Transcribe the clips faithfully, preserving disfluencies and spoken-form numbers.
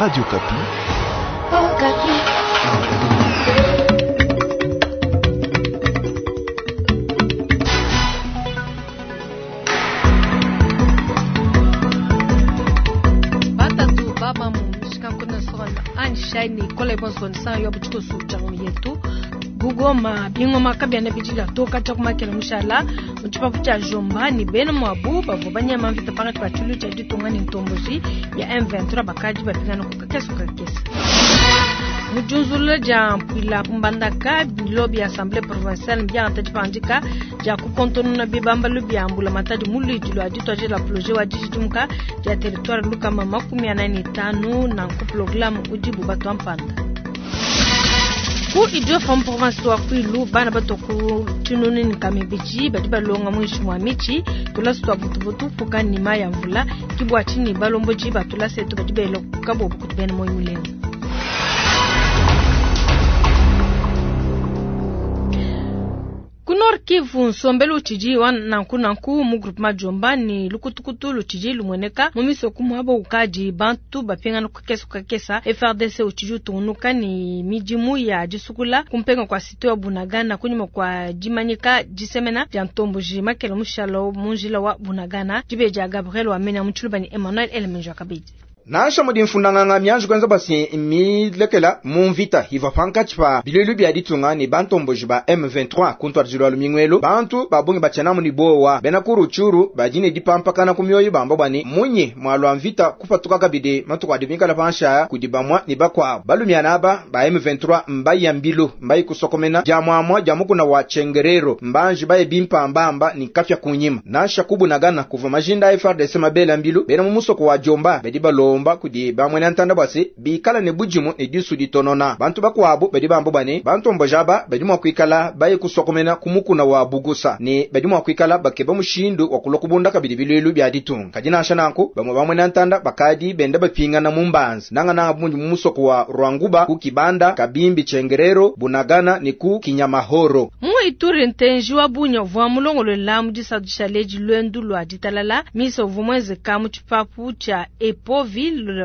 Radio Okapi. Oh, Okapi. Batatu baba mu shikankona sona anshani kola ibonso nsan yo butiko su changu yetu Gugoma bingoma kabyana bijila toka chakumakela mushala muchipapu cha jomba ni bena mwabu bavo banyama mvita pakati pa chulu cha ditunga ni ntomboji ya M vingt-trois bakaji bapingana kukakesa kukakesa mujunzula ja mpwila kumbandaka bilo bya assemblée provinciale mbya ntati ja kukontonona bibamba lubya mbula matadi mulidi lwa ditwa la projet wa dijidumuka ja territoire lukama makumi anani tano na nku programme udibu bato mpanda ku Idiofa province wa Kwilu bana batoku tinoni nkamebiji badi balonga mwishi mwa michi tulasi twa butubutu fuka nima ya mvula kibwa chini balomboji batulasi etu badi belo kabo kutubena moyo mulengo. Ku Nord Kivu nsombelu uchiji wa nanku nanku mu groupement Jomba ni lukutukutu luchiji lumweneka mu misoku mwabo ukaji bantu bapingana kukesa kukesa F R D C uchiji utunuka ni mijimu ya jisukula kumpenga kwa sito ya Bunagana kunyuma kwa jimanyika jisemena ja ntomboji makela mushalo munjila wa Bunagana jibeja Gabriel wa mena mchulubani Emmanuel Elemenjo kabidi. Nansha mudi mfundanganga mianju kwenza basi milekela mu mvita hiva pankatshi pa bilulu bya ditunga ni bantomboji ba M vingt-trois kuntwajilwa lumingwelo bantu babungi bachana muni bowa bena kuru churu bajine dipampakana ku myoyo bamba bwani munyi mwalwa mvita kupatuka kabidi matuku adimikala pansha kudibamwa ni bakwa balumyana aba ba M vingt-trois mbayi ya mbilu mbayi kusokomena ja mwamwa ja mukuna wa chengerero mbanji baye bimpambamba ni kafya kunyima nansha kubunagana kuva majinda F R D C mabela mbilu bena mu musoko wa Jomba bedi balomba kudi bamwene ntanda bwase bikala ne bujimu ne disu ditonona bantu bakwabo badi bambo bane bantu mbojaba badi mwa kwikala baye kusokomena kumukuna wa bugusa ne badi mwa kwikala bakeba mushindu wa kulokubunda kabidi bilulu bya ditunga kadi nansha nanku bamwe bamwene ntanda bakadi benda bapingana mu mbanza nanga nanga bunji mu musoko wa Rwanguba ku Kibanda Kabimbi Chengerero Bunagana ni ku Kinyamahoro mu Ituri ntenji wa bunya vwa mulongolo la mu disadu chaleji lwendu lwa ditalala miso vumweze ka mu chipapu cha Epovi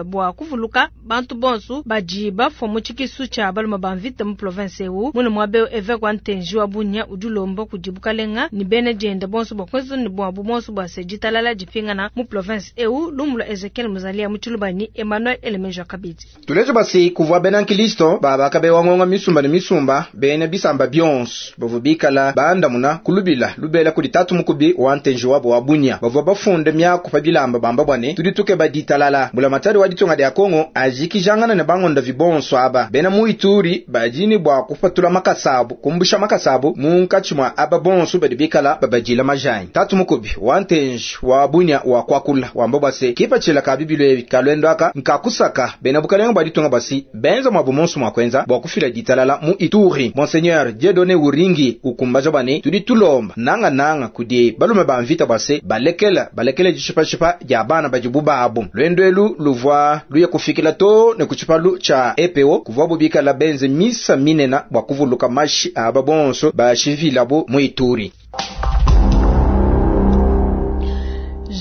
bwa kuvuluka bantu bonsu baji bafo mu chikisu cha baluma banvita mu province ewu muno mwabe évêque wa ntenji wa bunya udulombo kudibukalenga ni bene jenda bonsu bwa kwezo ni bwa bumonsu bwa sejitalala jipingana mu province ewu lumula Ezekiel Muzalia mu Chilubani Emmanuel Elemejo Kabidi tulejo basi kuvwa bena nkilisto baba kabe wangonga misumba ni misumba bene bisamba bionsu bovu bikala bandamuna kulubila lubela kuli tatu mukubi wa ntenji wabo wa bunya bavwa bafunde myaku pa bilamba bamba bwane tudituke baditalala bula matari wa ditunga dia Kongo ajikijangana ne bangonda vibonso aba bena mu Ituri bajini bwa kupatula makasabu kumbusha makasabu munkatshi mwa aba bonso badi bikala babajila majanyi tatu mukubi wa ntenji wa bunya wa kwakula wamba bwase kipachila ka bibilo ebi kalwendo aka nkakusaka bena bukalenga bwa ditunga basi benza mwa bumonso mwa kwenza bwa kufila ditalala mu Ituri Monseigneur Dieudonné Uringi ukumbaja bane tudi tulomba nanga nanga kudi balume ba mvita bwase balekela balekele jishipashipa ya bana bajibu babu lwendwelu luvwa luye kufikila to ne kuchipalu cha E P O kuvwa bubika la benze misa minena bwa kuvuluka mashi aba bonso bashivilabo mu Ituri.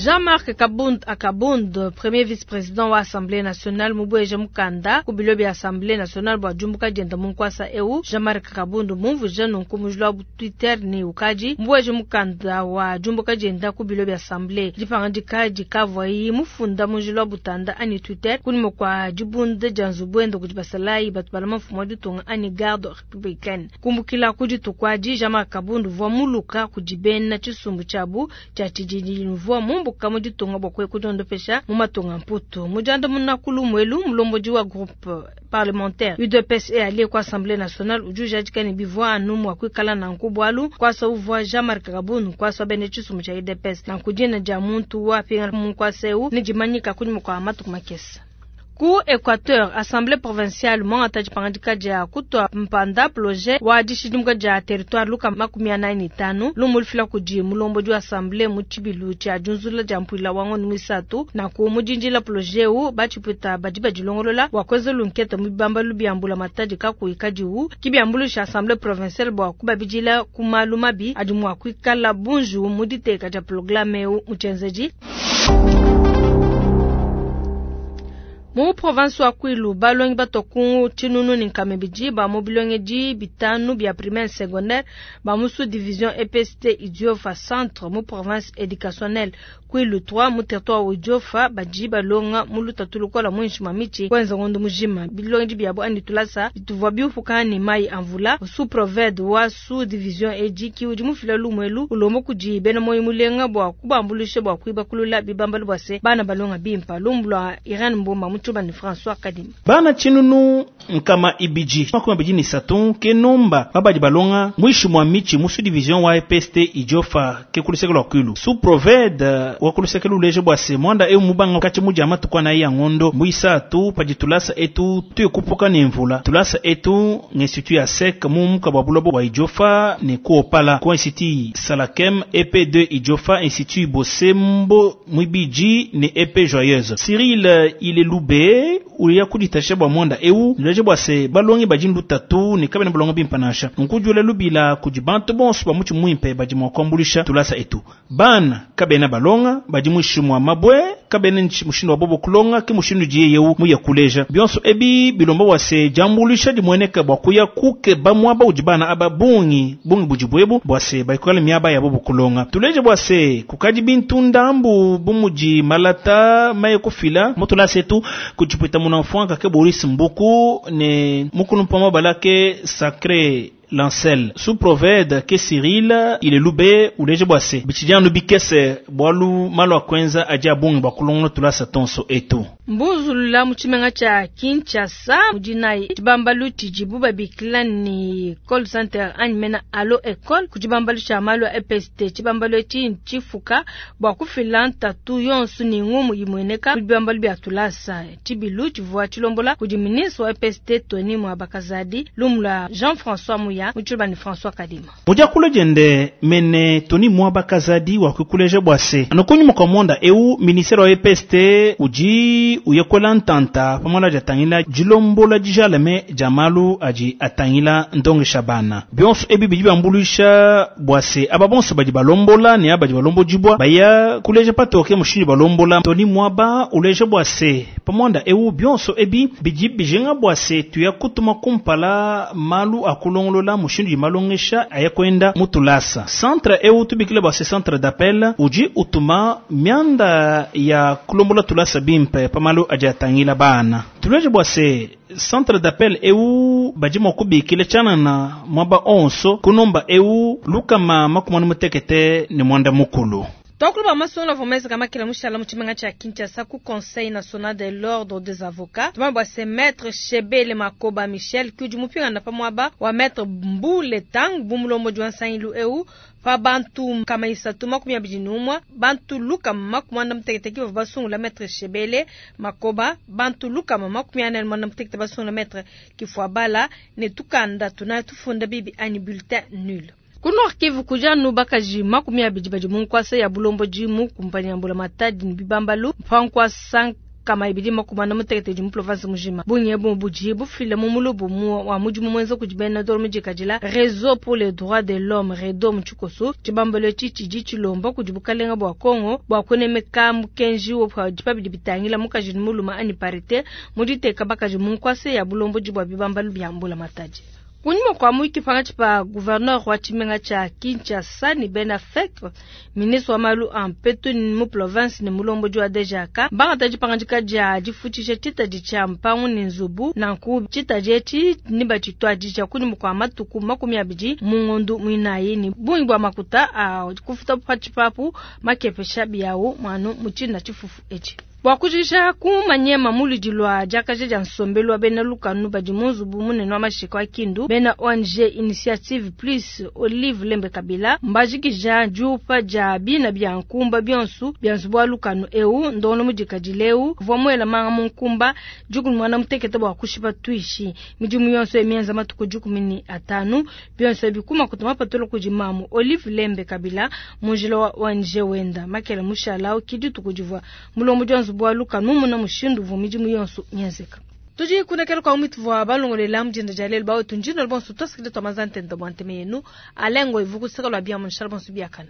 Jean-Marc Kabund Akabund, premier vice-président wa Assemblée nationale mubweje mukanda ku bilo bya Assemblée nationale bwa jumbuka jenda munkwasa eu Jean-Marc Kabund mumvuje nunku mujula bu Twitter ni ukaji mubweje mukanda wa jumbuka jenda ku bilo bya Assemblée dipangandika dikavwa yi mufunda mujula butanda ani Twitter kunimo kwa jibunde janzubwendo kujibasalai batu balama mfumo ditunga ani garde républicaine kumbukila kuditukwaji Jean-Marc Kabund vwa muluka kujibena chisumbu chabu cha chijiji mvua mumbu kamu ditunga bwa kwe kudondopesha mu matunga mputu mujanda munakulu mwelu mulomboji wa groupe parlementaire U D P S e allié kwa Assemblée nationale ujuja jikani bivwa anu mwa kwikala na nkubwalu kwa sa uvwa Jean-Marc Kabund kwa sa bene chisumu cha U D P S na kujina ja muntu wa pinga mu kwa seu ni jimanyika kunyuma kwa matuku makesa. Ku Equateur, Assemblée provinciale mwangata jipangandika ja kutwa mpanda projet wa dishidimuka ja territoire luka makumi anani ni tano lumulifila kuji mulombo ju assemblée mu chibilu cha junzula ja mpwila wango ni misatu na ku mujinjila projet u bachipwita badi bajilongolola wakweze lunketa mubamba lubiambula matadi kaku ikadiu kibiambulu cha assemblée provinciale bwa kubabijila kumalu mabi adi mwa kuikala bunju muditeka ja programme u muchenzeji. Mu province wa Kwilu, balongi batua ku tshinunu ne nkama ibidi ba mu bilongedi bitanu bia primaire secondaire ba mu sous division E P S T Idiofa centre mu province éducationnelle Kwilu trois mu territoire wa Idiofa badi balonga mu lutatu lukola muinshi mwa mitshi kwenza ngondo mujima. Bilongedi biabo andi tulasa bituvua biupuka ne mai amvula. Sous proved wa sous division edi ki udi mufila lumwelu ulomba kudi bena moyo mulenga bua kubambulisha bua kuibakulula bibambalu bua se bana balonga bimpa. Lumbu lua Irene Mbomba mu Tshibanda François Kadima. Bana tshinunu nkama ibidi makumi abidi ni satu ke nomba babadi balonga mwishi mwa michi mu sous-division wa E P S T Idiofa ke kuluseke lwa Kwilu. Sous proved wa kuluseke luleje bua se mwanda eu mubanga kati muja matuku na ya ngondo muisatu pajitulasa etu tuye kupuka ne mvula. Tulasa etu ng'institut ya sec mu muka bwa bulobo bwa Idiofa ne kuopala ku institut Salakem E P deux Idiofa institut Bosembo mwibiji ne E P Joyeuse. Cyril Ilelube uya kuditasha bwa mwanda eu luleje bua se balongi bajindu tatu ne kabena balonga bimpa nansha. Nkujula lubila kudi bantu bonso ba muchi muimpe badi mua kuambulisha tulasa etu. Bana kabena balonga badi mwishi mwa mabwe kabena nchi mushindu wa bobo kulonga ke mushindu diye yeu muya kuleja. Bionso ebi bilomba bua se jambulisha dimweneka bua kuya kuke ba mwaba udi bana aba bungi bungi budi bwebu bua se baikale miaba ya bobo kulonga. Tuleje bua se kukadi bintu ndambu bumudi malata maye kufila mutulasa etu kujipwita muna mfwanka ke Boris Mbuku ne mukulu mpama balake sacré Lancel. Sous proved ke Cyril il est loubé uleje bwase bichidianu bikese bwalu malo akwenza aja bungi bwa kulongo tulasa tonso etu. Mbuzulula mu tshimenga tshia Kinshasa mudinai tshibambalu tshidibu babikila ni call center anyi mena allo école ku tshibambalu tshia malu a E P S T. Tshibambalu etshi ntshifuka bua kufila ntatu yonso ni ngumu imueneka ku bibambalu bia tulasa. Tshibilu tshivua tshilombola kudi ministre wa E P S T Tony Mwaba Kazadi lumula Jean-François Muya mu tshilubani François Kadima. Mujakule jende mene Tony Mwaba Kazadi wa kukuleja bwase anokunyuma kwa monda eu ministre wa E P S T uji uyekola ntanta pamola jatangila jilombola dijaleme jamalu aji atangila ndonge shabana bionso ebi bidi bambulisha bwase aba bonso badi balombola ne abadi balombo jibwa baya kuleja patoke mushindu balombola Tony Mwaba uleja bwase pamonda eu bionso ebi bidi bijenga bwase tuya kutuma kumpala malu akulongolola mushindu jimalongesha ayakwenda mutulasa centre eu tubikile bwase centre d'appel uji utuma mianda ya kulombola tulasa bimpe pamalu ajatangila bana tuleje bwase centre d'appel eu badi mua kubikila tshianana mwaba onso kunomba eu lukama makumi mutekete ne mwanda mukulu. Tokulu ba masongo vomeza kama kila mushala mu tshimenga tshia Kinshasa ku Conseil national de l'ordre des avocats. Tuma bwa se maître Chebele Makoba Michel kudi mupinga na pamwaba wa maître Mbule Tang bumulombo jwa nsangilu eu pa bantu kama isatu makumi abidi n'umwe bantu luka makumi anda mutekete ki bavua basungula maître Chebele Makoba bantu luka makumi ane na muanda mutekete basungula maître Kifuabala ne tukanda tuna tufunda bibi anyi bulletin nul. Ku Nord Kivu kuja nu bakaji makumi abidi badi mu nkwasa ya bulombo jimu kumpanya ya mbula matadi ni bibambalu mpankwasa kama ibidi makumi ane mutekete di mu province mujima. Bungi bu budi bufile mu mulubu mu wa mudimu mwenza kudi bena dolo mujikadila Réseau pour les droits de l'homme Redo Mchikoso tshibambalo tshi tshidi tshilomba kudi bukalenga bua Kongo bua kunemeka mukenji wo pa dipabidi bitangila mukaji ni muluma ani parité muditeka bakaji mu nkwasa ya bulombo jibwa bibambalu bya mbula matadi. Kunyuma kwa mwiki pangachi pa gouverneur wa tshimenga tsha Kinshasa ni Ben Affleck, ministre wa malu a mpetu ni mu province ni mulombo jwa D J K, bangata dipangandika dia difutisha tshitadi tshia mpangu ni nzubu, nanku tshitadi etshi ni batshituadi tshia kunyuma kwa matuku makumi abidi mu ngondu muinayi ni bungi bua makuta a kufuta pa tshipapu makepesha biawu mwanu mu tshina tshifufu etshi. Bua kujikija ku manyema muludi lwa diakaja dia nsombelu wa bena lukanu badi mu nzubu munene wa mashika wa Kindu, bena O N G Initiative Plus Olive Lembe Kabila mbajikija diupa dia bina bia nkumba bionsu bia nzubu wa lukanu eu ndono mudikadile eu vua muela manga mu nkumba dikumi muanda mutekete bua kushipa tuishi midimu yonso emienza matuku dikumi ni atanu bionso bikuma kutuma patolo kudi mamu Olive Lembe Kabila munjila wa O N G wenda makela mushala ukidi tukudivua mulombo dia nzubu wa lukanu muna mushindu vua midimu yonso mienzeka. Tudi kunekela kwa umitu vua balongolela mujinda dia lelu bawetu njino bonso tosikile twa mazantende bua nteme yenu alengo ivukusika lwa bia munshala bonso biakana.